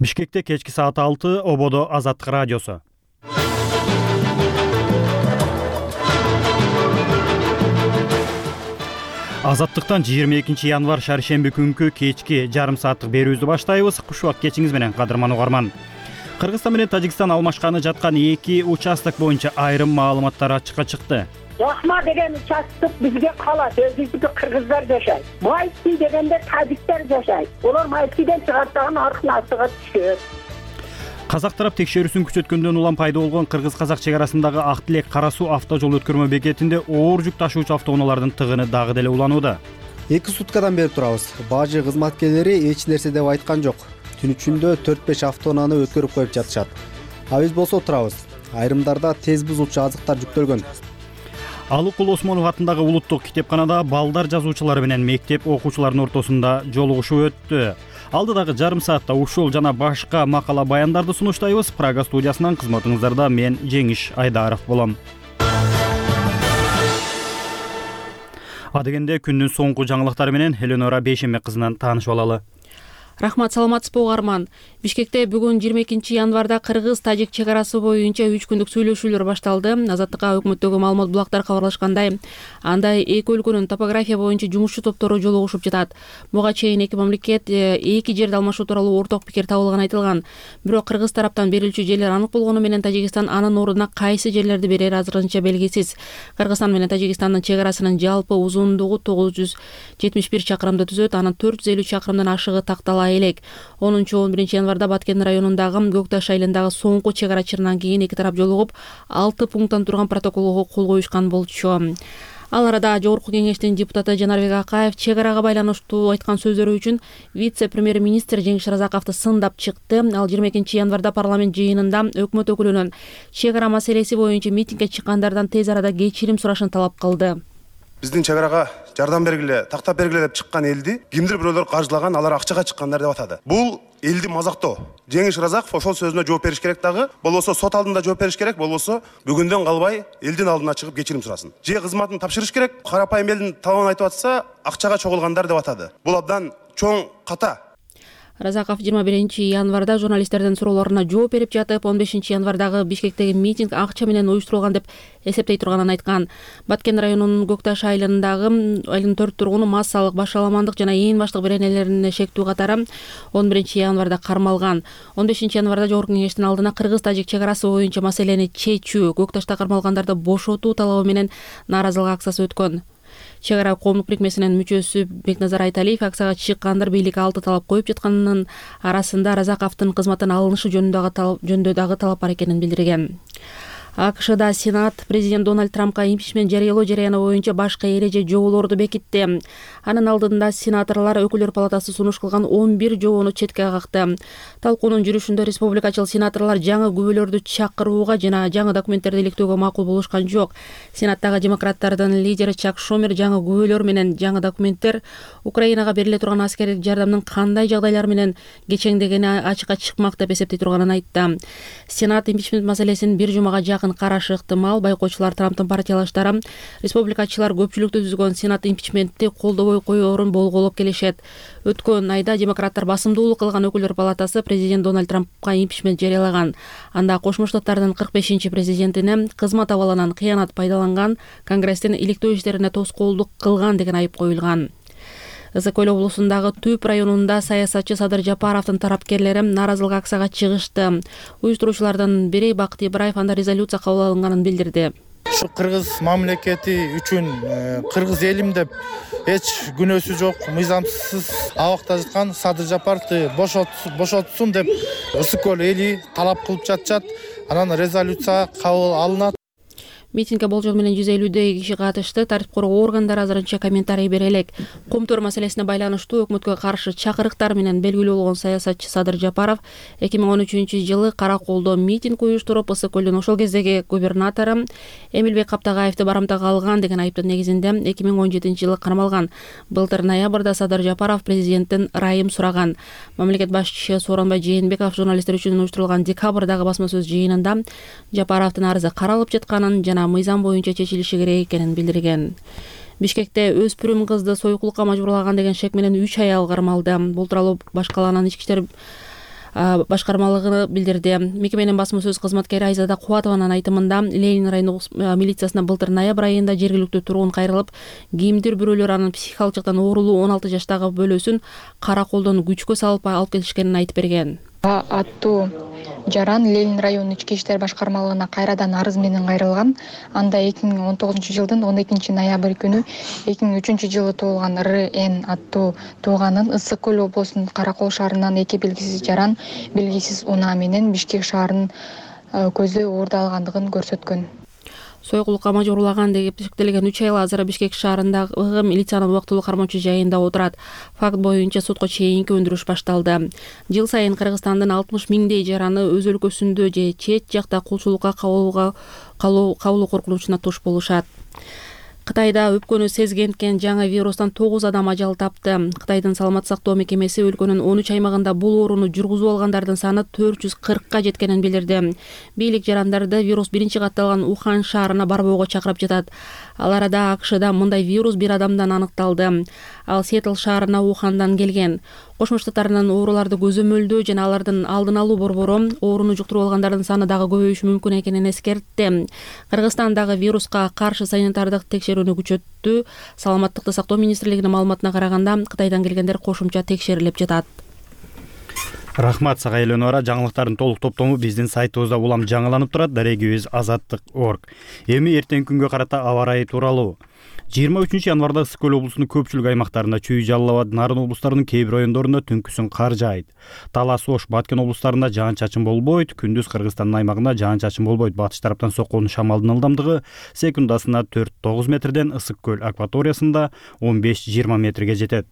Бишкекте кечки саат 6 ободо Азаттык радиосу. Азаттыктан 22 январь шаршемби күнкү кечки жарым сааттык берүүбүздү баштайбыз. Куш убак кечиңиз менен кадырман угарман. Кыргызстан менен Тажикстан алмашканы жаткан эки участок боюнча айрым маалыматтар ачыкка чыкты. Жакма деген участок бизге калат, өзүбүздү кыргыздар жашайт. Майский дегенде тажиктер жашайт. Олар Майскийден чыгартаган аркын астыга түшөт. Казак тарап текшерүүсүн күчөткөндөн улам пайда болгон кыргыз-казак чек арасындагы Ак Тилек Кара Суу автожол өткөрмө бекетинде оор жүк ташуучу автоунаалардын тыгыны дагы деле уланууда. 2 суткадан бери турабыз. Бажы кызматкерлери эч нерсе деп айткан жок. Түн ичинде 4-5 автоунааны өткөрүп коюп жатышат. А биз болсо турабыз. Айрымдарда тез бузуучу азыктар жүктөлгөн. Алыкул Осмонов атындагы улуттук китепканада балдар жазуучулары менен мектеп окуучуларынын ортосунда жолугушуу өттү. Алдыдагы жарым саатта ушул жана башка макала баяндарды сунуштайбыз. Прага студиясынан кызматыңыздарда мен Жеңиш Айдаров болом. Адегенде күндүн соңку жаңылыктары менен Эленора Бейшембек кызынан таанышып алалы. Рахмат, саламатсызбы угарман. Бишкекте бүгүн 22 январда кыргыз-тажик чек арасы боюнча 3 күндүк сүйлөшүүлөр башталды. Азаттыкка өкмөттөгү маалымат булактар кабарлашкандай, анда эки өлкөнүн топография боюнча жумушчу топтору жолугушуп жатат. Буга чейин эки мамлекет эки жерди алмашуу тууралуу орток пикир табылганы айтылган. Бирок кыргыз тараптан берилчү жерлер анык болгону менен Тажикстан анын ордуна кайсы жерлерди берери азырынча белгисиз. Кыргызстан менен Тажикстандын чек арасынын жалпы узундугу 971 чакырымды түзөт, анын 450 чакырымдан ашыгы тактала элек. 10-11 январда Баткен районундагы Көкташ айылындагы соңку чек ара чырынан кийин эки тарап жолугуп 6 пункттан турган протоколго кол коюшкан болчу. Ал арада Жогорку кеңештин депутаты Жанарбек Акаев чек арага байланыштуу айткан сөздөрү үчүн вице-премьер-министр Жеңиш Разаковду сындап чыкты. Ал 22 январда парламент жыйынында өкмөт өкүлүнүн чек ара маселеси боюнча митингге чыккандардан тез арада кечирим сурашын талап кылды. Биздин чек арага жардам бергиле, тактап бергиле деп чыккан элди кимдир бирөөлөр каржылаган, алар акчага чыккандар деп атады. Бул элди мазактоо. Жеңиш Разаков ошол сөзүнө жооп бериш керек дагы, болбосо сот алдында жооп бериш керек, болбосо бүгүндөн калбай элдин алдына чыгып кечирим сурасын. Же кызматын тапшырыш керек, карапайым элдин талабын айтып атса, акчага чогулгандар деп атады. Бул абдан чоң ката. Разаков 21 январда журналисттердин суроолоруна жооп берип жатып, 15 январдагы Бишкектеги митинг акча менен уюштурулган деп эсептей турганын айткан. Баткен районунун Көкташ айылындагы 4 тургуну массалык башаламандык жана ээн баштык беренелерине шектүү катары 11 январда кармалган. 15 январда Жогорку кеңештин алдына кыргыз-тажик чек арасы боюнча маселени чечүү, Көкташта кармалгандарды бошотуу талабы менен нааразылык акциясы өткөн. Чек ара коомдук бирикмесинин мүчөсү Бекназар Айталиев акцияга чыккандар бийликке 6 талап коюп жатканынын арасында Разаковдун кызматтан алынышы жөнүндө дагы талап бар экенин билдирген. АКШда Сенат президент Дональд Трампка импичмент жарыялоо жарыяны боюнча башка эреже жоболорду бекитти. Анын алдында сенаторлор өкүлдөр палатасы сунуш кылган 11 жобону четке какты. Талкуунун жүрүшүндө республикачыл сенаторлор жаңы күбөлөрдү чакырууга жана жаңы документтерди иликтөөгө макул болушкан жок. Сенаттагы демократтардын лидери Чак Шумер жаңы күбөлөр менен жаңы документтер Украинага бериле турган аскердик жардамдын кандай жагдайлар менен кечеңдегени ачыкка чыкмак деп эсептей турганын айтты. Сенат импичмент маселесин бир жумага карашы ыктымал. Байкоочулар Трамптын партиялаштары республикачылар көпчүлүктү түзгөн Сенат импичментти колдобой коерун болголоп келишет. Өткөн айда демократтар басымдуулук кылган өкүлдөр палатасы президент Дональд Трампка импичмент жарыялаган. Анда Кошмо Штаттардын 45-чи президентине кызмат абалынан кыянат пайдаланган, Конгресстин иликтөө иштерине тоскоолдук кылган деген айып коюлган. Ысык-Көл облусундагы Түп районунда саясатчы Садыр Жапаровдун тарапкерлери нааразылык акцияга чыгышты. Уюштуруучулардын бири Бакыт Ибраев анда резолюция кабыл алынганын билдирди. Ушу кыргыз мамлекети үчүн кыргыз элим деп эч күнөөсү жок, мыйзамсыз абакта жаткан Садыр Жапаровду бошотсун деп Ысык-Көл эли талап кылып жатышат. Анан резолюция кабыл алынат. Митингге болжол менен 150 киши катышты. Тартип коргоо органдары азырынча комментарий бере элек. Комтор маселесине байланыштуу өкмөткө каршы чакырыктар менен белгилүү болгон саясатчы Садыр Жапаров 2013-жылы Караколдо митинг уюштуруп, Ысык-Көлдүн ошол кездеги губернатору Эмилбек Каптагаевди барымтага алган деген айыптын негизинде 2017-жылы кармалган. Былтыр ноябрда Садыр Жапаров президенттин ырайым сураган. Мамлекет башчысы Сооронбай Жээнбеков журналисттер үчүн уюштурулган декабрдагы басма сөз жыйынында Жапаровдун арызы каралып жатканын жана мыйзам боюнча чечилиши керек экенин билдирген. Бишкекте өспүрүм кызды сойкулукка мажбурлаган деген шек менен 3 аял кармалды. Бул тууралуу башкаланын ички иштер башкармалыгы билдирди. Мекеменин басма сөз кызматкери Айзада Кубатованын айтымында Ленин райондук милициясына былтыр ноябрь айында жергиликтүү тургун кайрылып, кимдир бирөөлөр анын психикалык жактан оорулуу 16 жаштагы бөлөсүн кара колдон күчкө салып алып келишкенин айтып берген. Аттуу жаран Ленин районунун ички иштер башкармалыгына кайрадан арыз менен кайрылган. Анда 2019 жылдын 12 ноябрь күнү 2003 жылы туулган РН аттуу тууганын Ысык көл облусунун Каракол шаарынан 2 белгисиз жаран белгисиз унаа менен Бишкек шаарынын көзү уурдалгандыгын көрсөткөн. Сойгулукка мажбурлаган деп эсептелген 3 айыл азыр Бишкек шаарындагы милициянын убактылуу кармоочу жайында отурат. Факт боюнча сотко чейинки өндүрүш башталды. Жыл сайын Кыргызстандын 60 миңдей жараны өз өлкөсүндө же чет жакта кулчулукка кабылуу коркунучуна туш болушат. Кытайда өпкөнү сезгенткен жаңы вирустан 9 адам ажал тапты. Кытайдын саламаттык сактоо мекемеси өлкөнүн 13 аймагында бул ооруну жүргүзүп алгандардын саны 440ка жеткенин билдирди. Бийлик жарандарды вирус биринчи катталган Ухан шаарына барбоого чакырып жатат. Ал арада АКШда мындай вирус бир адамдан аныкталды. Ал Сиэтл шаарына Ухандан келген. Кошмо Штаттарынын ооруларды көзөмөлдөө жана алардын алдын алуу борбору ооруну жуктуруп алгандардын саны дагы көбөйүшү мүмкүн экенин эскертти. Кыргызстандагы вируска каршы санитардык текшерүүнү күчөттү. Саламаттыкты сактоо министрлигинин маалыматына караганда, Кытайдан келгендер кошумча текшерилип жатат. Рахмат сага Эленора. Жаңылыктардын толук топтому биздин сайтыбызда улам жаңыланып турат. Дарегибиз azattik.org. Эми эртеңки күнгө карата аба ырайы тууралуу. 23 январда Ысык көл облусунун көпчүлүк аймактарында Чүй, Жалал Абад, Нарын облустарынын кээ бир райондорунда түнкүсүн кар жаайт. Талас, Ош, Баткен облустарында жаан-чачын болбойт. Күндүз Кыргызстандын аймагында жаан-чачын болбойт. Батыш тараптан соккон шамалдын ылдамдыгы секундасына 4-9 метрден, Ысык көл акваториясында 15-20 метрге жетет.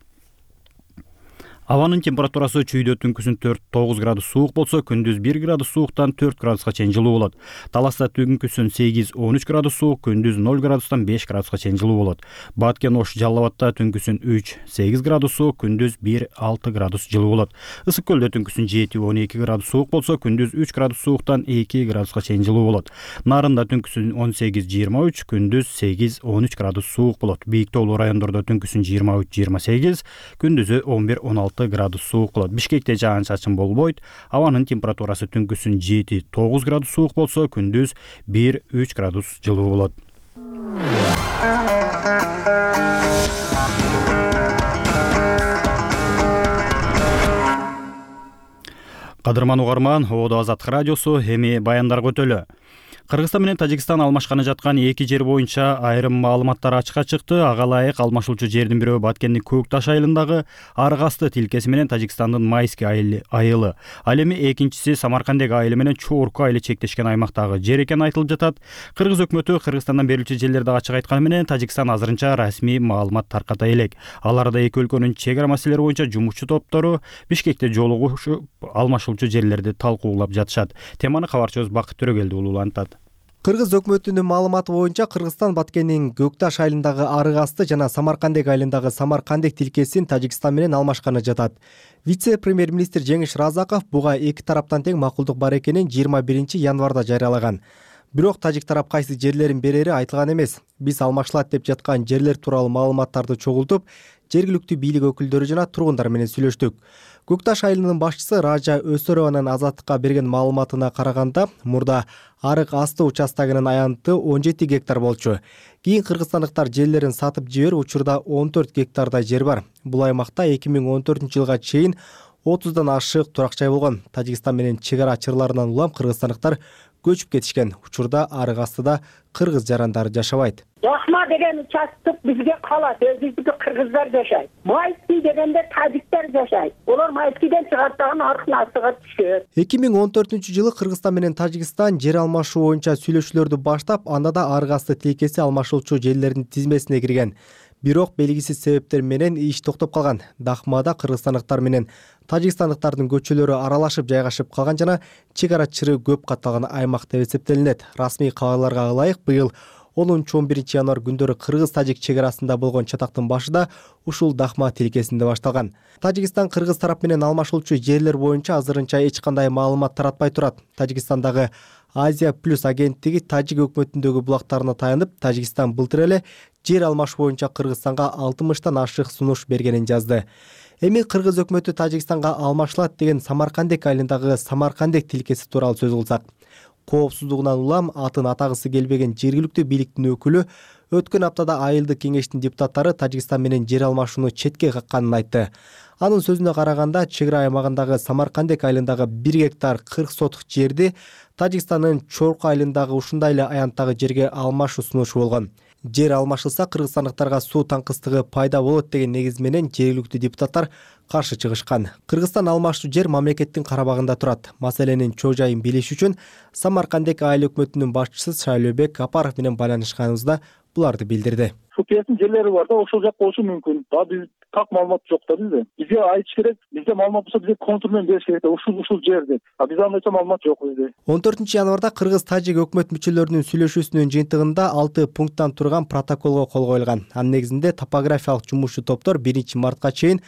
Абанын температурасы Чүйдө түнкүсүн 4-9 градус суук болсо, күндүз 1 градус сууктан 4 градуска чейин жылуу болот. Таласта түнкүсүн 8-13 градус суук, күндүз 0 градустан 5 градуска чейин жылуу болот. Баткен, Ош, Жалал Абадта түнкүсүн 3-8 градус суук, күндүз 1-6 градус жылуу болот. Ысык көлдө түнкүсүн 7-12 градус суук болсо, күндүз 3 градус сууктан 2 градуска чейин жылуу болот. Нарында түнкүсүн 18-23, күндүз 8-13 градус суук болот. Бийик тоолуу райондордо түнкүсүн 23-28, күндүзү 11-16 градус суук болот. Бишкекте жаан-чачын болбойт. Абанын температурасы түнкүсүн 7-9 градус суук болсо, күндүз 1-3 градус жылуу болот. Кадырман угарман, Оодо Азаттык радиосу, эми баяндарга өтөлү. Кыргызстан менен Тажикстан алмашканы жаткан эки жер боюнча айрым маалыматтар ачыкка чыкты. Ага ылайык алмашуучу жердин бирөө Баткендин Көк Таш айылындагы Арык асты тилкеси менен Тажикстандын Майский айылы. Ал эми экинчиси Самаркандек айылы менен Чорку айылы чектешкен аймактагы жер экени айтылып жатат. Кыргыз өкмөтү Кыргызстандан берилчү жерлерди ачык айтканы менен Тажикстан азырынча расмий маалымат тарката элек. Ал арада эки өлкөнүн чек ара маселелери боюнча жумушчу топтору Бишкекте жолугушуп алмашуучу жерлерди талкуулап жатышат. Теманы кабарчыбыз Бакыт Төрөгелди улуулантат. Кыргыз өкмөтүнүн маалыматы боюнча Кыргызстан Баткендин Көк Таш айылындагы Арык асты жана Самаркандек айылындагы Самаркандек тилкесин Тажикстан менен алмашканы жатат. Вице-премьер-министр Жеңиш Разаков буга эки тараптан тең макулдук бар экенин 21 январда жарыялаган. Бирок тажик тарап кайсы жерлерин берери айтылган эмес. Биз алмашылат деп жаткан жерлер тууралуу маалыматтарды чогултуп, жергиликтүү бийлик өкүлдөрү жана тургундар менен сүйлөштүк. Көк Таш айылынын башчысы Ража Өсөрованын Азаттыкка берген маалыматына караганда, мурда Арык асты участогунун аянты 17 гектар болчу. Кийин кыргызстандыктар жерлерин сатып жиберип, учурда 14 гектардай жер бар. Бул аймакта 2014 жылга чейин 30дан ашык турак жай болгон. Тажикстан менен чек ара чырларынан улам кыргызстандыктар көчүп кетишкен. Учурда Арык астыда кыргыз жарандары жашабайт. Яхма деген участок бизге калат, өзүбүздү кыргыздар жашайт. Майский дегенде тажиктер жашайт. Олар Майскийден чыгартаган Арык астыга түшөт. 2014 жылы Кыргызстан менен Тажикстан жер алмашуу боюнча сүйлөшүүлөрдү баштап, анда да Арык асты тилкеси алмашуучу жерлердин тизмесине кирген. Бирок белгисиз себептер менен иш токтоп калган. Дахмада кыргызстандыктар менен тажикстандыктардын көчөлөрү аралашып жайгашып калган жана чек ара чыры көп катталган аймак деп эсептелинет. Расмий кабарларга ылайык, быйыл 10-11 январь күндөрү кыргыз-тажик чек арасында болгон чатактын башында ушул Дахма тилкесинде башталган. Тажикстан кыргыз тарап менен алмашуучу жерлер боюнча азырынча эч кандай маалымат таратпай турат. Тажикстандагы Азия плюс агенттиги тажик өкмөтүндөгү булактарына таянып, Тажикстан былтыр эле жер алмаш боюнча Кыргызстанга 60тан ашык сунуш бергенин жазды. Эми кыргыз өкмөтү Тажикстанга алмашылат деген Самаркандек айылындагы Самаркандек тилкеси тууралуу сөз кылсак, коопсуздугунан улам атын атагысы келбеген жергиликтүү бийликтин өкүлү өткөн аптада айылдык кеңештин депутаттары Тажикстан менен жер алмашууну четке какканын айтты. Анын сөзүнө караганда, чек ара аймагындагы Самаркандек айылындагы 1 гектар 40 сотук жерди Тажикстандын Чорку айылындагы ушундай эле аянттагы жерге алмашуу сунушу болгон. Жер алмашылса кыргызстандыктарга суу таңкыстыгы пайда болот деген негиз менен жергиликтүү депутаттар каршы чыгышкан. Кыргызстан алмаштуу жер мамлекеттин карабагында турат. Маселенин чоо жайын билиш үчүн Самаркандек айыл өкмөтүнүн башчысы Шайлообек Апаров менен байланышканыбызда буларды билдирди. Сукиясынын жерлери бар да, ошол жак болушу мүмкүн. Биз так маалымат жок да бизде. Бизге айтыш керек, бизде маалымат болсо бизге контур менен бериш керек да, ушул жер деп. Бизде андайча маалымат жок бизде. 14 январда Кыргыз-Тажик өкмөт мүчөлөрүнүн сүйлөшүүсүнүн жыйынтыгында 6 пункттан турган протоколго кол коюлган. Анын негизинде топографиялык жумушчу топтор 1 мартка чейин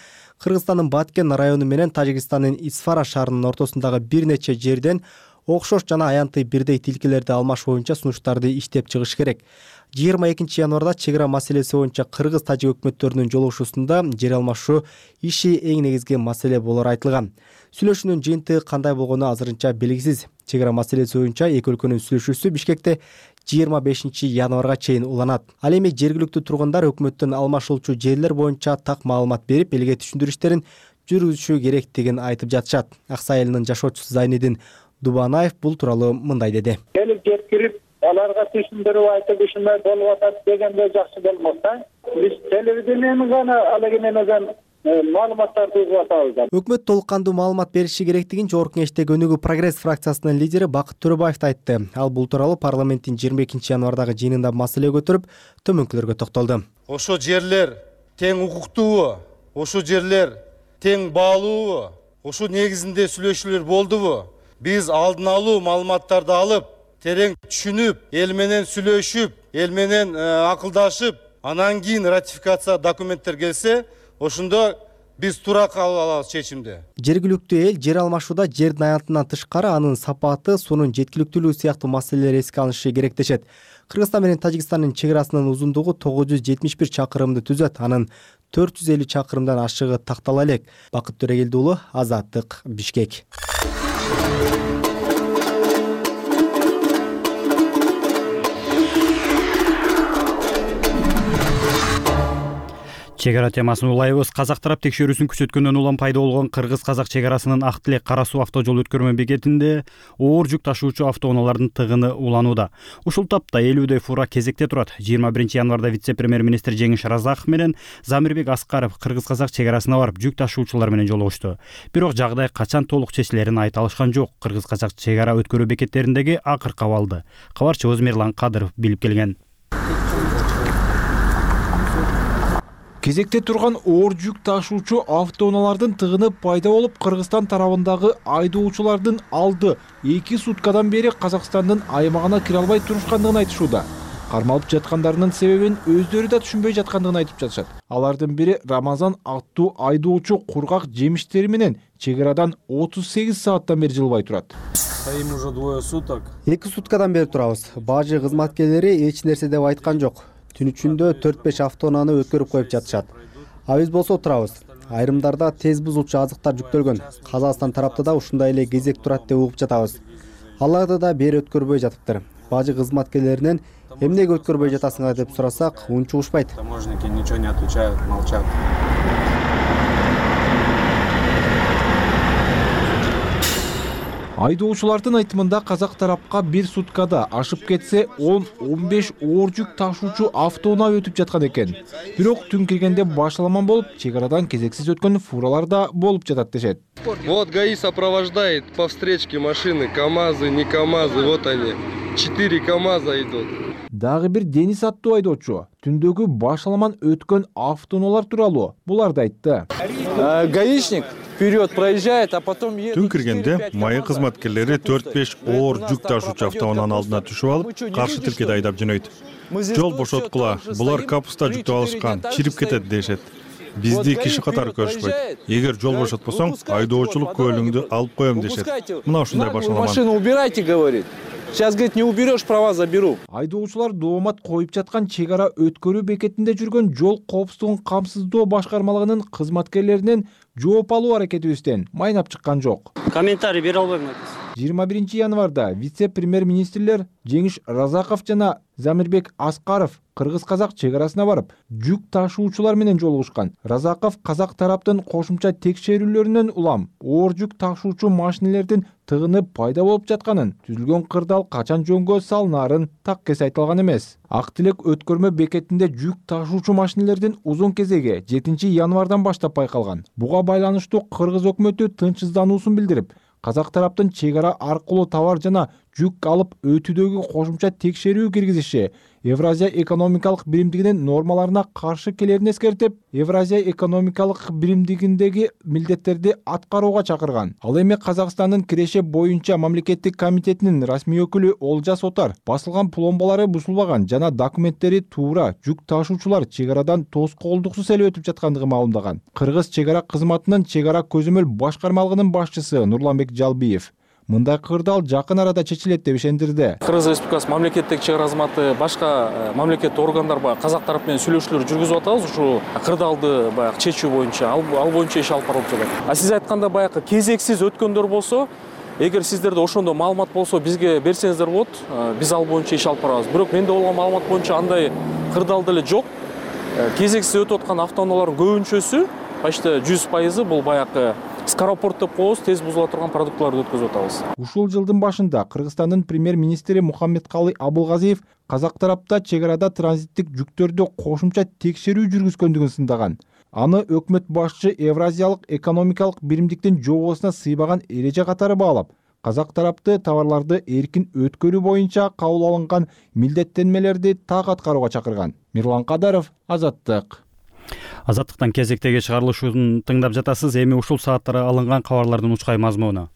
Кыргызстандын Баткен району менен Тажикстандын Исфара шаарынын ортосундагы бир нече жерден окшош жана аянтый бирдей тилкелерди алмаш боюнча сунуштарды иштеп чыгыш керек. 22 январда чек ара маселеси боюнча Кыргыз-Тажик өкмөттөрүнүн жолугушуусунда жер алмашуу иши эң негизги маселе болору айтылган. Сүйлөшүүнүн жыйынтыгы кандай болгону азырынча белгисиз. Чек ара маселеси боюнча эки өлкөнүн сүйлөшүүсү Бишкекте 25 январга чейин уланат. Ал эми жергиликтүү тургундар өкмөттөн алмашылчу жерлер боюнча так маалымат берип, элге түшүндүрүштөрүн жүргүзүшү керектигин айтып жатышат. Аксай айылынын жашоочусу Зайнидин Дубанаев бул тууралуу мындай деди. Келип жеткирип, аларга түшүндүрүп айтып ушундай болуп атат дегенде жакшы болмос да. Биз телевидениени гана алеге менен маалыматтарды угуп атабыз. Өкмөт толук кандуу маалымат бериши керектигин Жогорку Кеңештеги Өнүгүү Прогресс фракциясынын лидери Бакыт Төрөбаев айтты. Ал бул тууралуу парламенттин 22 январдагы жыйынында маселе көтөрүп, төмөнкүлөргө токтолду. Ошо жерлер тең укуктуубу? Ошо жерлер тең баалуубу? Ошо негизинде сүйлөшүүлөр болдубу? Биз алдын алуу маалыматтарды алып, терең түшүнүп, эл менен сүйлөшүп, эл менен акылдашып, анан кийин ратификация документтер келсе, ошондо биз туура кабыл алабыз чечимди. Жергиликтүү эл жер алмашууда жердин аянтынан тышкары анын сапаты, суунун жеткиликтүүлүгү сыяктуу маселелер эске алынышы керектешет. Кыргызстан менен Тажикстандын чек арасынын узундугу 971 чакырымды түзөт. Анын 450 чакырымдан ашыгы тактала элек. Бакыт Төрөгелди уулу, Азаттык, Бишкек. Чек ара темасын улайбыз. Казак тарап текшерүүсүн күчөткөндөн улам пайда болгон кыргыз-казак чек арасынын Ак Тилек Кара Суу автожол өткөрмө бекетинде оор жүк ташуучу автоунаалардын тыгыны уланууда. Ушул тапта 50дөй фура кезекте турат. 21 январда вице-премьер-министр Жеңиш Разаков менен Замирбек Аскаров кыргыз-казак чек арасына барып жүк ташуучулар менен жолугушту. Бирок жагдай качан толук чечилерин айта алышкан жок. Кыргыз-казак чек ара өткөрүү бекеттериндеги акыркы абалды кабарчыбыз Мирлан Кадыров билип келген. Кезекте турган оор жүк ташуучу автоунаалардын тыгыны пайда болуп, Кыргызстан тарабындагы айдоочулардын алды 2 суткадан бери Казакстандын аймагына кире албай турушкандыгын айтышууда. Кармалып жаткандарынын себебин өздөрү да түшүнбөй жаткандыгын айтып жатышат. Алардын бири Рамазан аттуу айдоочу кургак жемиштери менен чек арадан 38 сааттан бери жылбай турат. Стоим уже 2 суток. 2 суткадан бери турабыз. Бажы кызматкерлери эч нерсе деп айткан жок. Түн ичинде 4-5 автоунааны өткөрүп коюп жатышат. Биз болсо турабыз. Айрымдарда тез бузулчу азыктар жүктөлгөн. Казакстан тарапта да ушундай эле кезек турат деп угуп жатабыз. Аларды да бери өткөрбөй жатыптыр. Бажы кызматкерлеринен эмнеге өткөрбөй жатасыңар деп сурасак, унчугушпайт. Таможенники ничего не отвечают, молчат. Айдоочулардын айтымында казак тарапка 1 суткада ашып кетсе 10-15 оор жүк ташуучу автоунаа өтүп жаткан экен. Бирок түн киргенде башаламан болуп, чек арадан кезексиз өткөн фуралар да болуп жатат дешет. Вот ГАИ сопровождает по встречке машины, КАМАЗы, не КАМАЗы, вот они, 4 КАМАЗа идут. Дагы бир Денис аттуу айдоочу түндөгү башаламан өткөн автоунаалар тууралуу буларды айтты. Гаишник вперед проезжает, а потом едет. Түн киргенде майы кызматкерлери 4-5 оор жүк ташуучу автоунаанын алдына түшүп алып, каршы тилкеде айдап жөнөйт. Жол бошоткула, булар капуста жүктөп алышкан, чирип кетет дешет. Бизди киши катары көрүшпөйт. Эгер жол бошотпосоң, айдоочулук көлүңдү алып коем дешет. Мына ушундай башаламан. Машину убирайте, говорит. Сейчас, говорит, не уберешь, права заберу. Айдоочулар доомат коюп жаткан чек ара өткөрүү бекетинде жүргөн жол коопсуздугун камсыздоо башкармалыгынын кызматкерлеринен жооп алуу аракетибизден майнап чыккан жок. Комментарий бере албайм. 21 январда вице-премьер-министрлер Жеңиш Разаков жана Замирбек Аскаров кыргыз-казак чек арасына барып, жүк ташуучулар менен жолугушкан. Разаков казак тараптын кошумча текшерүүлөрүнөн улам оор жүк ташуучу машинелердин тыгыны пайда болуп жатканын, түзүлгөн кырдаал качан жөнгө салынаарын так эс айтылган эмес. Ак Тилек өткөрмө бекетинде жүк ташуучу машинелердин узун кезеги 7 январдан баштап байкалган. Буга байланыштуу кыргыз өкмөтү тынчсыздануусун билдирип, казак тараптын чек ара аркылуу товар жана жүк алып өтүүдөгү кошумча текшерүү киргизиши Евразия экономикалык биримдигинин нормаларына каршы келерин эскертип, Евразия экономикалык биримдигиндеги милдеттерди аткарууга чакырган. Ал эми Казакстандын Киреше боюнча мамлекеттик комитетинин расмий өкүлү Олжас Отар басылган пломбалары бузулбаган жана документтери туура жүк ташуучулар чек арадан тоскоолдуксуз эле өтүп жаткандыгын маалымдаган. Кыргыз чек ара кызматынын чек ара көзөмөл башкармалыгынын башчысы Нурланбек Жалбиев мындай кырдаал жакын арада чечилет деп ишендирди. Кыргыз Республикасы мамлекеттик чек ара кызматы башка мамлекеттик органдар казак тарап менен сүйлөшүүлөр жүргүзүп атабыз. Ушу кырдаалды баягы чечүү боюнча, ал боюнча иш алып барылып жатат. А сиз айтканда баягы кезексиз өткөндөр болсо, эгер сиздерде ошондо маалымат болсо бизге берсеңиздер болот, биз ал боюнча иш алып барабыз. Бирок менде болгон маалымат боюнча андай кырдаал деле жок. Кезексиз өтүп аткан автоунаалардын көбүнчөсү, почти 100% бул баягы скоропорт деп коебуз, тез бузула турган продуктыларды өткөзүп атабыз. Ушул жылдын башында Кыргызстандын премьер-министри Мухаммедкалый Абылгазиев казак тарапта чек арада транзиттик жүктөрдү кошумча текшерүү жүргүзгөндүгүн сындаган. Аны өкмөт башчы Евразиялык экономикалык биримдиктин жобосуна сыйбаган эреже катары баалап, казак тарапты товарларды эркин өткөрүү боюнча кабыл алынган милдеттенмелерди так аткарууга чакырган. Мирлан Кадаров, Азаттык. Азаттыктан кезектеги чыгарылышын тыңдап жатасыз. Эми ушул сааттары алынган кабарлардын учкай мазмуну.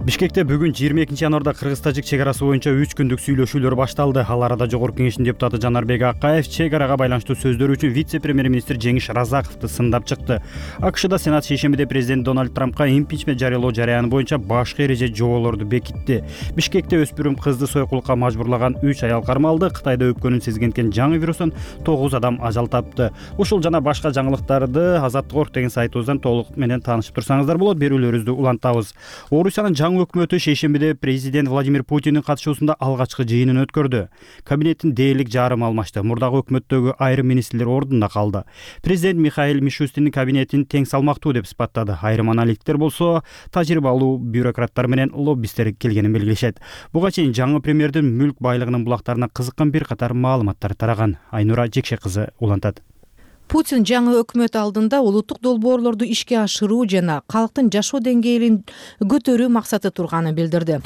Бишкекте бүгүн 22 январда кыргыз-тажик чек арасы боюнча 3 күндүк сүйлөшүүлөр башталды. Ал арада Жогорку Кеңештин депутаты Жанарбек Акаев чек арага байланыштуу сөздөр үчүн вице-премьер-министр Жеңиш Разаковду сындап чыкты. АКШда Сенат шейшембиде президент Дональд Трампка импичмент жарыялоо жараяны боюнча башкы эреже жоболорду бекитти. Бишкекте өспүрүм кызды сойкулукка мажбурлаган 3 аял кармалды. Кытайда өпкөнүн сезген жаңы вирустан 9 адам ажал тапты. Ушул жана башка жаңылыктарды Азаттык.org деген сайтыбыздан толук менен таанышып турсаңыздар болот. Берүүлөрүбүздү улантабыз. Орусиянын өкмөтү шейшембиде президент Владимир Путиндин катышуусунда алгачкы жыйынын өткөрдү. Кабинеттин дээрлик жарымы алмашты. Мурдагы өкмөттөгү айрым министрлер ордунда калды. Президент Михаил Мишустиндин кабинетин тең салмактуу деп сыпаттады. Айрым аналитиктер болсо тажрыйбалуу бюрократтар менен лоббисттер келгенин белгилешет. Буга чейин жаңы премьердин мүлк байлыгынын булактарына кызыккан бир катар маалыматтар тараган. Айнура Жекше кызы улантат. Путин жаңы өкмөт алдында улуттук долбоорлорду ишке ашыруу жана калктын жашоо деңгээлин көтөрүү максаты турганын билдирди.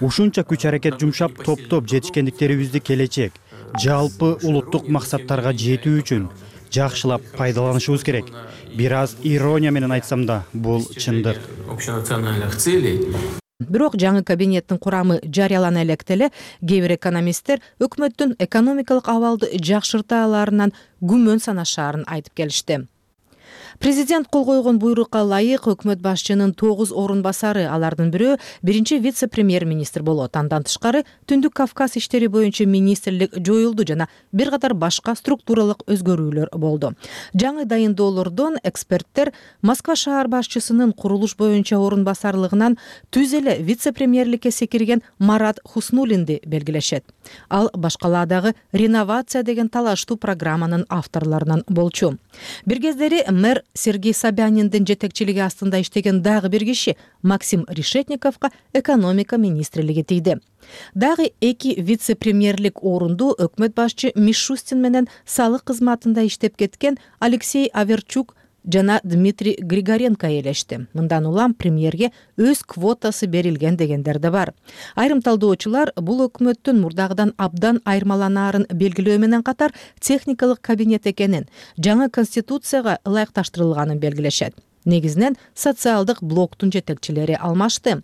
Ушунча күч аракет жумшап топтоп жетишкендиктерибизди келечек, жалпы улуттук максаттарга жетүү үчүн жакшылап пайдаланышыбыз керек. Бир аз ирония менен айтсам да, бул чындык. Бирок жаңы кабинеттин курамы жарыялана электе эле кээ бир экономисттер өкмөттүн экономикалык абалды жакшырта аларынан күмөн санашаарын айтып келишти. Президент кол койгон буйрукка ылайык өкмөт башчынын 9 орун басары, алардын бирөө биринчи вице-премьер-министр болот. Андан тышкары Түндүк Кавказ иштери боюнча министрлик жоюлду жана бир катар башка структуралык өзгөрүүлөр болду. Жаңы дайындоолордон эксперттер Москва шаар башчысынын курулуш боюнча орун басарлыгынан түз эле вице-премьерликке секирген Марат Хуснулинди белгилешет. Ал башкаладагы реновация деген талаштуу программанын авторлорунан болчу. Бир кездери мэр Сергей Собяниндин жетекчилиги астында иштеген дагы бир киши Максим Решетниковго экономика министрлиги тийди. Дагы 2 вице-премьерлик орунду өкмөт башчы Мишустин менен салык кызматында иштеп кеткен Алексей Аверчук жана Дмитрий Григоренко ээлешти. Мындан улам премьерге өз квотасы берилген дегендер да бар. Айрым талдоочулар бул өкмөттүн мурдагыдан абдан айырмаланаарын белгилөө менен катар техникалык кабинет экенин, жаңы конституцияга ылайыкташтырылганын белгилешет. Негизинен социалдык блоктун жетекчилери алмашты.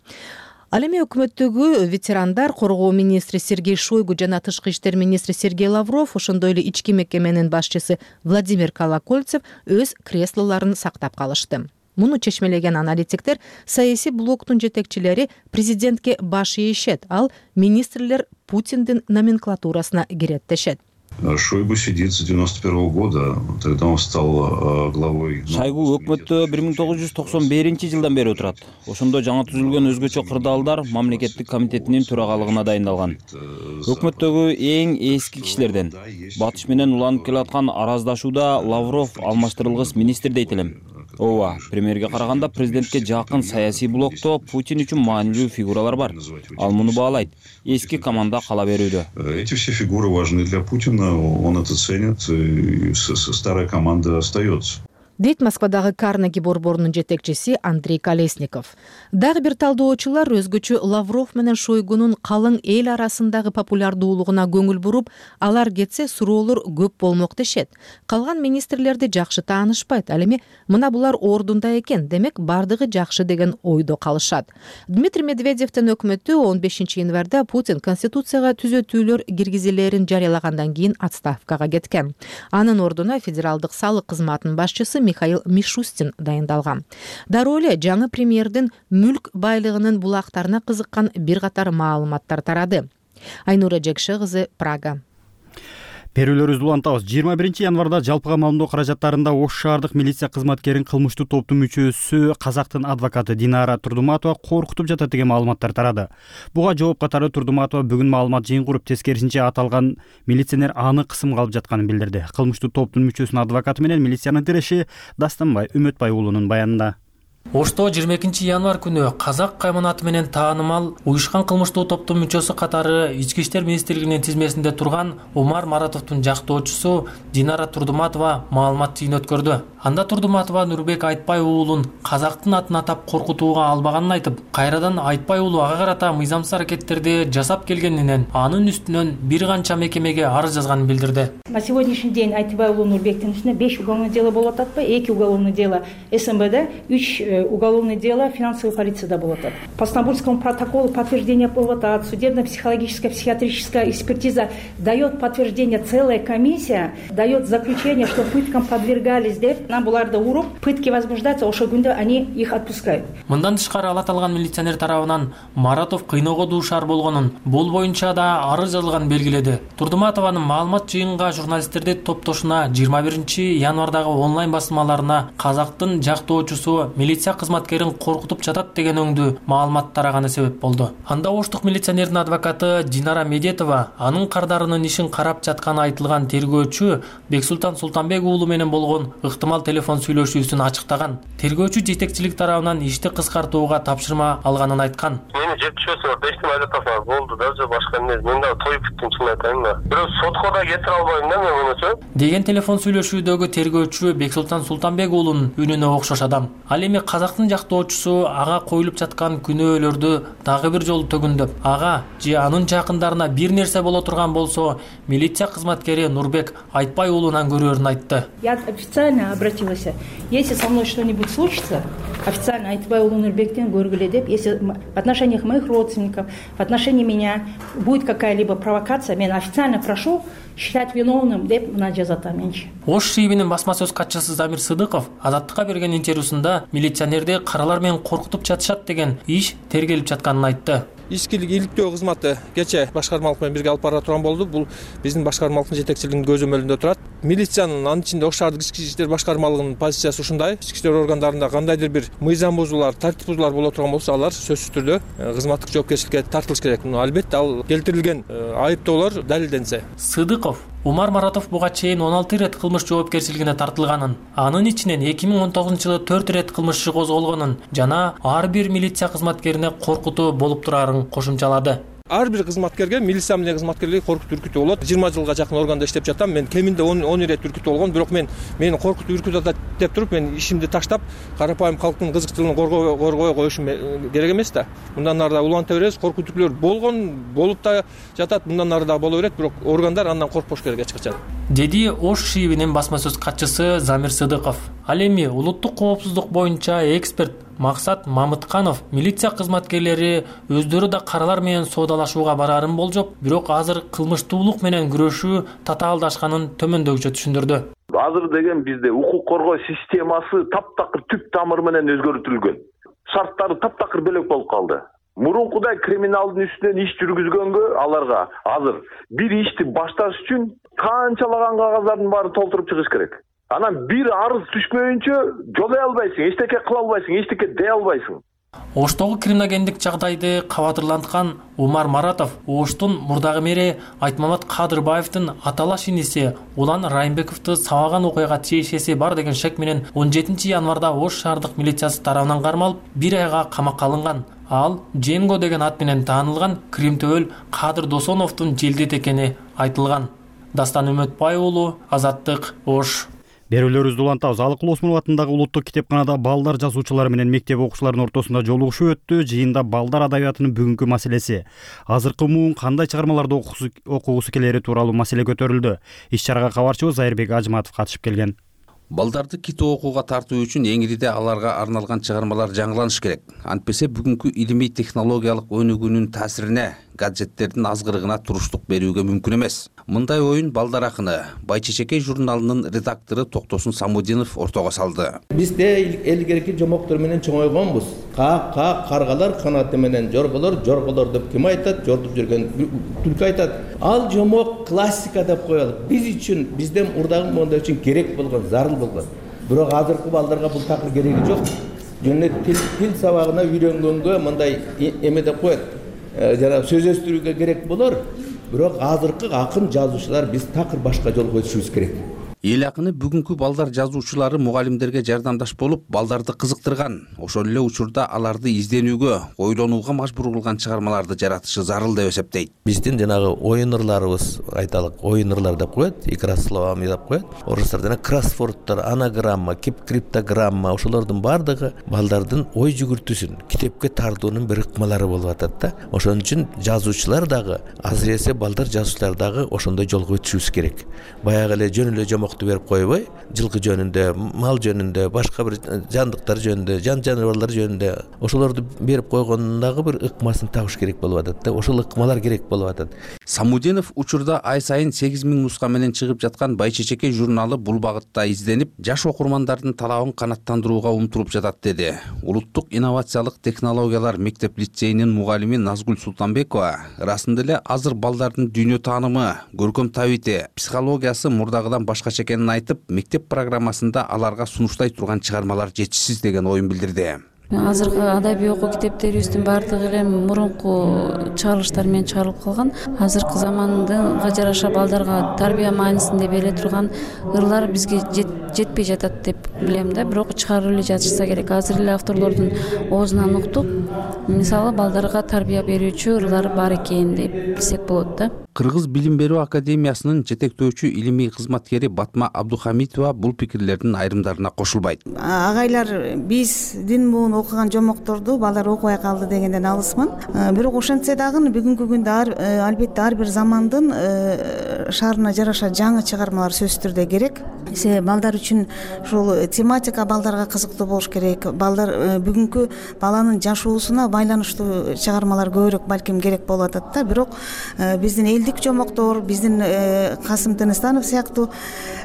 Ал эми өкмөттөгү ветерандар, коргоо министри Сергей Шойгу жана тышкы иштер министри Сергей Лавров, ошондой эле ички мекеменин башчысы Владимир Колокольцев өз креслолорун сактап калышты. Муну чечмелеген аналитиктер саясий блоктун жетекчилери президентке баш ийишет, ал министрлер Путиндин номенклатурасына кирет дешет. Шойгу сидит с 91 года, тогда он стал главой. Шойгу өкмөттө 1991-жылдан бери отурат. Ошондо жаңы түзүлгөн өзгөчө кырдаалдар мамлекеттик комитетинин төрагалыгына дайындалган. Өкмөттөгү эң эски кишилерден. Батыш менен уланып келаткан араздашууда Лавров алмаштырылгыс министр дейт элем. Ооба, премьерге караганда президентке жакын саясий блокто Путин үчүн маанилүү фигуралар бар. Ал муну баалайт. Эски команда кала берүүдө. Эти все фигуры важны для Путина, он это ценит, и старая команда остается. Дейт Москвадагы Карнеги борборунун жетекчиси Андрей Колесников. Дагы бир талдоочулар өзгөчө Лавров менен Шойгунун калың эл арасындагы популярдуулугуна көңүл буруп, алар кетсе суроолор көп болмок дешет. Калган министрлерди жакшы таанышпайт, ал эми мына булар ордунда экен, демек бардыгы жакшы деген ойдо калышат. Дмитрий Медведевдин өкмөтү 15-январда Путин конституцияга түзөтүүлөр киргизилерин жарыялагандан кийин отставкага кеткен. Анын ордуна федералдык салык кызматынын башчысы Михаил Мишустин дайындалган. Дароо эле жаңы премьердин мүлк байлыгынын булактарына кызыккан бир катар маалыматтар тарады. Айнура Жекше кызы, Прага. Берүүлөрүбүздү улантабыз. 21 январда жалпыга маалымдоо каражаттарында Ош шаардык милиция кызматкерин кылмыштуу топтун мүчөсү казактын адвокаты Динара Турдуматова коркутуп жатат деген маалыматтар тарады. Буга жооп катары Турдуматова бүгүн маалымат жыйын куруп, тескерисинче аталган милиционер аны кысымга алып жатканын билдирди. Кылмыштуу топтун мүчөсүнүн адвокаты менен милициянын тиреши Дастанбай Үмөтбай уулунун баянында. Ошто 22 январ күнү казак кайманаты менен таанымал уюшкан кылмыштуу топтун мүчөсү катары Ички иштер министрлигинин тизмесинде турган Умар Маратовдун жактоочусу Динара Турдуматова маалымат жыйын өткөрдү. Анда Турдуматова Нурбек Айтбай уулун казактын атын атап коркутууга албаганын айтып, кайрадан Айтбай уулу ага карата мыйзамсыз аракеттерди жасап келгенинен анын үстүнөн бир канча мекемеге арыз жазганын билдирди. На сегодняшний день Айтбай уулу Нурбектин үстүнө 5 уголовное дело болуп атпайбы, 2 уголовное дело СМБда, 3 уголовное дело финансовой полицияда болуп атат. По Стамбульскому протоколу подтверждение болуп атат. Судебно-психологическая, психиатрическая экспертиза дает подтверждение, целая комиссия дает заключение, что пыткам подвергались деп, нам буларды уруп, пытки возбуждаются, ошол күндө они их отпускают. Мындан тышкары ала аталган милиционер тарабынан Маратов кыйноого дуушар болгонун, бул боюнча да арыз жазылганын белгиледи. Турдуматованын маалымат жыйынга журналисттерди топтошуна 21 январдагы онлайн басылмаларына казактын жактоочусу милиция кызматкерин коркутуп жатат деген өңдүү маалымат тараганы себеп болду. Анда оштук милиционердин адвокаты Динара Медетова анын кардарынын ишин карап жатканы айтылган тергөөчү Бексултан Султанбек уулу менен болгон ыктымал телефон сүйлөшүүсүн ачыктаган. Тергөөчү жетекчилик тарабынан ишти кыскартууга тапшырма алганын айткан. Мени жетишпесе бештин айтасыңар болду да, башка эмне. Мен да тоюп бүттүм, чын айтайын да. Бирок сотко да кетире албайм да мен мунучу. Деген телефон сүйлөшүүдөгү тергөөчү Бексултан Султанбек уулунун үнүнө окшош адам. Ал эми казактын жактоочусу ага коюлуп жаткан күнөөлөрдү дагы бир жолу төгүндөп, ага же анын жакындарына бир нерсе боло турган болсо, милиция кызматкери Нурбек Айтбай уулунан көрөрүн айтты. Я официально обратилась. Если со мной что-нибудь случится, официально Айтбай уулу Нурбектен көргүлө деп, если в отношениях моих родственников, в отношении меня будет какая-либо провокация, мен официально прошу считать виновным деп мына жазатамынчы. Ош шийбинин басма сөз катчысы Замир Сыдыков Азаттыкка берген интервьюсунда милиционерди каралар менен коркутуп жатышат деген иш тергелип жатканын айтты. Ичкилик иликтөө кызматы кече башкармалык менен бирге алып бара турган болду. Бул биздин башкармалыктын жетекчилигинин көзөмөлүндө турат. Милициянын анын ичинде Ош шаардык ички иштер башкармалыгынын позициясы ушундай. Ички иштер органдарында кандайдыр бир мыйзам бузуулар, тартип бузуулар боло турган болсо, алар сөзсүз түрдө кызматтык жоопкерчиликке тартылыш керек. Албетте ал келтирилген айыптоолор далилденсе. Сыдыков Умар Маратов буга чейин 16 рет кылмыш жоопкерчилигине тартылганын, анын ичинен 2019-жылы 4 рет кылмыш иши козголгонун жана ар бир милиция кызматкерине коркутуу болуп турарын кошумчалады. Ар бир кызматкерге, милиция менен кызматкерлерге коркутуу үркүтүү болот. 20 жылга жакын органда иштеп жатам. Мен кеминде 10 рет үркүтүү болгон, бирок мени коркутуу үркүтүп атат деп туруп, мен ишимди таштап, карапайым калктын кызыкчылыгын коргой коюшум керек эмес да. Мындан ары да уланта беребиз. Коркутуулар болгон, болуп да жатат, мындан ары да боло берет, бирок органдар андан коркпош керек эч качан. Деди Ош шийбинин басма сөз катчысы Замир Сыдыков. Ал эми улуттук коопсуздук боюнча эксперт Максат Мамытканов милиция кызматкерлери өздөрү да каралар менен соодалашууга барарын болжоп, бирок азыр кылмыштуулук менен күрөшүү татаалдашканын төмөндөгүчө түшүндүрдү. Азыр деген бизде укук коргоо системасы таптакыр түп тамыры менен өзгөртүлгөн. Шарттары таптакыр бөлөк болуп калды. Мурункудай криминалдын үстүнөн иш жүргүзгөнгө аларга азыр бир ишти башташ үчүн канчалаган кагаздардын баарын толтуруп чыгыш керек. Анан бир арыз түшпөйүнчө жолой албайсың, эчтеке кыла албайсың, эчтеке дей албайсың. Оштогу криминогендик жагдайды кабатырланткан Умар Маратов Оштун мурдагы мэри Айтмамат Кадырбаевдин аталаш иниси Улан Райымбековду сабаган окуяга тиешеси бар деген шек менен 17 январда Ош шаардык милициясы тарабынан кармалып, 1 айга камакка алынган. Ал Дженго деген ат менен таанылган Кримтөөл Кадыр Досоновдун желдет экени айтылган. Дастан Үмөтбай уулу, Азаттык, Ош. Берүүлөрүбүздү улантабыз. Алыкул Осмонов атындагы улуттук китепканада балдар жазуучулары менен мектеп окуучуларынын ортосунда жолугушуу өттү. Жыйында балдар адабиятынын бүгүнкү маселеси, азыркы муун кандай чыгармаларды окугусу келери тууралуу маселе көтөрүлдү. Иш чарага кабарчыбыз Айырбек Ажматов катышып келген. Балдарды китеп окууга тартуу үчүн эңириде аларга арналган чыгармалар жаңыланыш керек. Антпесе бүгүнкү илимий технологиялык өнүгүүнүн таасирине гаджеттердин азгырыгына туруштук берүүгө мүмкүн эмес. Мындай оюн балдар акыны Байчечекей журналынын редактору Токтосун Самудинов ортого салды. Бизде элгерки жомоктор менен чоңойгонбуз. Каргалар канаты менен жорголор, жорголор деп ким айтат? Жортуп жүргөн түлкү айтат. Ал жомок классика деп коелу. Биз үчүн, бизден урдагы монда үчүн керек болгон, зарыл болгон. Бирок азыркы балдарга бул такыр кереги жок. Жөн тил сабагына үйрөнгөнгө мындай эме деп коет. Жана сөз өстүрүүгө керек болор. Бирок азыркы акын жазуучулар биз такыр башка жолго өтүшүбүз керек. Эл акыны бүгүнкү балдар жазуучулары мугалимдерге жардамдаш болуп, балдарды кызыктырган. Ошол эле учурда аларды изденүүгө, ойлонууга мажбур кылган чыгармаларды жаратышы зарыл деп эсептейт. Биздин жанагы оюн ырларыбыз, айталык, оюн ырлар деп коет, игра словами деп коет. Орустар жана кроссвордтор, анаграмма, криптограмма, ошолордун бардыгы балдардын ой жүгүртүүсүн, китепке тартуунун бир ыкмалары болуп атат да. Ошон үчүн жазуучулар дагы, азыресе балдар жазуучулар дагы ошондой жолго өтүшүбүз керек. Баягы эле жөн эле жомок берип койбой, жылкы жөнүндө, мал жөнүндө, башка бир жандыктар жөнүндө, жаныбарлар жөнүндө ошолорду берип койгондагы бир ыкмасын табыш керек болуп атат да. Ошол ыкмалар керек болуп атат. Самудинов учурда ай сайын 8000 нуска менен чыгып жаткан Байчечекей журналы бул багытта изденип, жаш окурмандардын талабын канаттандырууга умтулуп жатат деди. Улуттук инновациялык технологиялар мектеп-лицейинин мугалими Назгүл Султанбекова ырасында эле азыр балдардын дүйнө таанымы, көркөм табити, психологиясы мурдагыдан башкача экенин айтып, мектеп программасында аларга сунуштай турган чыгармалар жетишсиз деген оюн билдирди. Азыркы адабий окуу китептерибиздин баардыгы эле мурунку чыгарылыштар менен чыгарылып калган. Азыркы заманга жараша балдарга тарбия маанисинде бериле турган ырлар бизге жетпей жатат деп билем да. Бирок чыгарып эле жатышса керек. Азыр эле авторлордун оозунан уктуп, мисалы балдарга тарбия берүүчү ырлар бар экенин деп билсек болот да. Кыргыз билим берүү академиясынын жетектөөчү илимий кызматкери Батма Абдухамитова бул пикирлердин айрымдарына кошулбайт. Агайлар биздин муун окуган жомокторду балдар окубай калды дегенден алысмын. Бирок ошентсе дагы бүгүнкү күндө албетте ар бир замандын шаарына жараша жаңы чыгармалар сөзсүз түрдө керек. Балдар үчүн ушул тематика балдарга кызыктуу болуш керек. Балдар бүгүнкү баланын жашоосуна байланыштуу чыгармалар көбүрөөк балким керек болуп атат да. Бирок биздин элдик жомоктор, биздин Касым Тыныстанов сыяктуу,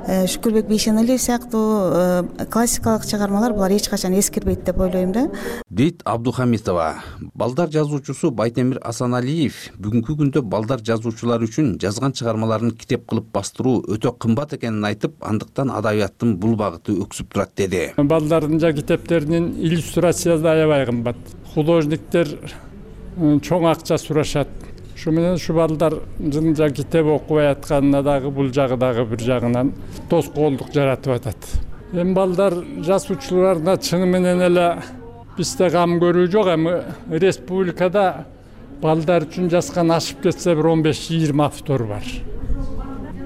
Шүкүрбек Бейшеналиев сыяктуу классикалык чыгармалар булар эч качан эскирбейт деп ойлойм да. Дейт Абдухамитова. Балдар жазуучусу Байтемир Асаналиев бүгүнкү күндө балдар жазуучулар үчүн жазган чыгармаларын китеп кылып бастыруу өтө кымбат экенин айтып, андыктан адабияттын бул багыты өксүп турат деди. Балдардын китептеринин иллюстрациясы аябай кымбат. Художниктер чоң акча сурашат. Шу менен ушу балдар жынжа китеп окубай атканына дагы бул жагы дагы бир жагынан тоскоолдук жаратып атат. Эми балдар жазуучуларына чыны менен эле бизде кам көрүү жок, эми республикада балдар үчүн жазган ашып кетсе бир 15-20 автор бар.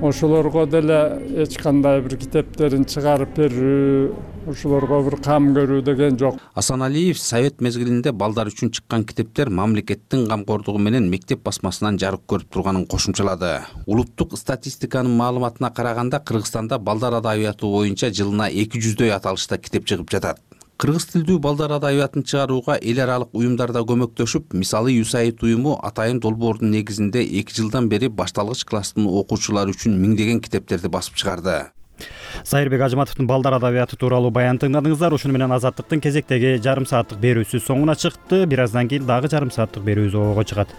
Ошолорго деле эч кандай бир китептерин чыгарып берүү, ошолорго бир кам көрүү деген жок. Асаналиев совет мезгилинде балдар үчүн чыккан китептер мамлекеттин камкордугу менен мектеп басмасынан жарык көрүп турганын кошумчалады. Улуттук статистиканын маалыматына караганда Кыргызстанда балдар адабияты боюнча жылына 200дөй аталышта китеп чыгып жатат. Кыргыз тилдүү балдар адабиятын чыгарууга эл аралык уюмдар да көмөктөшүп, мисалы USAID уюму Атайын долбоордун негизинде 2 жылдан бери башталгыч класстын окуучулары үчүн миңдеген китептерди басып чыгарды. Сайырбек Ажыматовдун балдар адабияты тууралуу баянын тыңдадыңыздар. Ушуну менен Азаттыктын кезектеги жарым сааттык берүүсү соңуна чыкты. Бир аздан кийин дагы жарым сааттык берүүбүз ого чыгат.